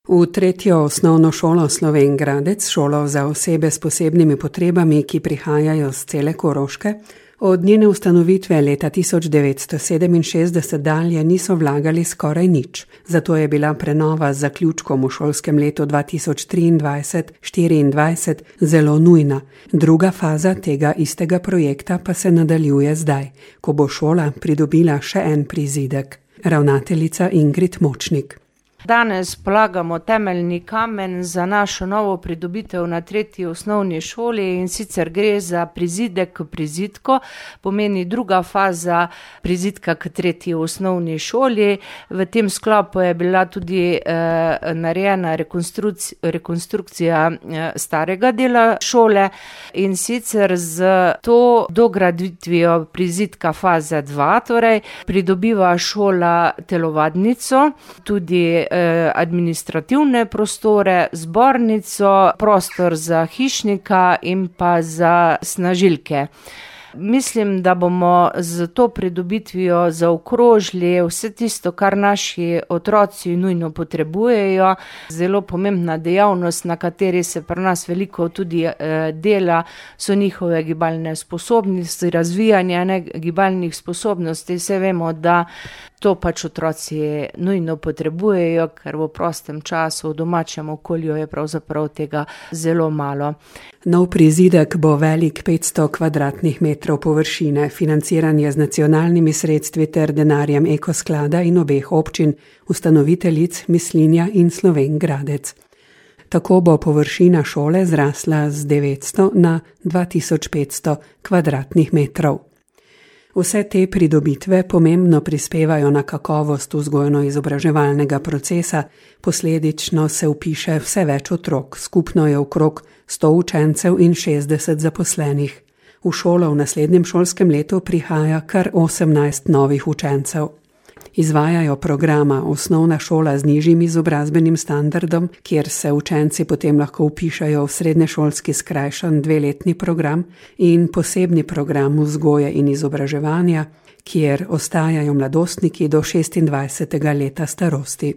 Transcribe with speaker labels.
Speaker 1: V tretjo osnovno šolo Slovenj Gradec, šolo za osebe s posebnimi potrebami, ki prihajajo z cele Koroške, od njene ustanovitve leta 1967 dalje niso vlagali skoraj nič. Zato je bila prenova z zaključkom v šolskem letu 2023-2024 zelo nujna. Druga faza tega istega projekta pa se nadaljuje zdaj, ko bo šola pridobila še en prizidek. Ravnateljica Ingrid Močnik.
Speaker 2: Danes polagamo temeljni kamen za našo novo pridobitev na tretji osnovni šoli in sicer gre za prizidek k prizidku, pomeni druga faza prizidka k tretji osnovni šoli. V tem sklopu je bila tudi narejena rekonstrukcija starega dela šole in sicer z to dograditvijo prizidka faze 2, torej pridobiva šola telovadnico, tudi administrativne prostore, zbornico, prostor za hišnika in pa za snažilke. Mislim, da bomo z to pridobitvijo zaokrožili vse tisto, kar naši otroci nujno potrebujejo. Zelo pomembna dejavnost, na kateri se pri nas veliko tudi dela, so njihove gibalne sposobnosti, razvijanje gibalnih sposobnosti. Vse vemo, da to pač otroci nujno potrebujejo, ker v prostem času, v domačem okolju je pravzaprav tega zelo malo.
Speaker 1: Nov prizidek bo velik 500 kvadratnih metrov površine, financiranje z nacionalnimi sredstvi ter denarjem Ekosklada in obeh občin, ustanoviteljic Mislinja in Slovenj Gradec. Tako bo površina šole zrasla z 900 na 2500 kvadratnih metrov. Vse te pridobitve pomembno prispevajo na kakovost vzgojno-izobraževalnega procesa, posledično se vpiše vse več otrok, skupno je okrog 100 učencev in 60 zaposlenih. V šolo v naslednjem šolskem letu prihaja kar 18 novih učencev. Izvajajo programa osnovna šola z nižjim izobrazbenim standardom, kjer se učenci potem lahko vpišajo v srednješolski skrajšan 2-letni program in posebni program vzgoje in izobraževanja, kjer ostajajo mladostniki do 26. leta starosti.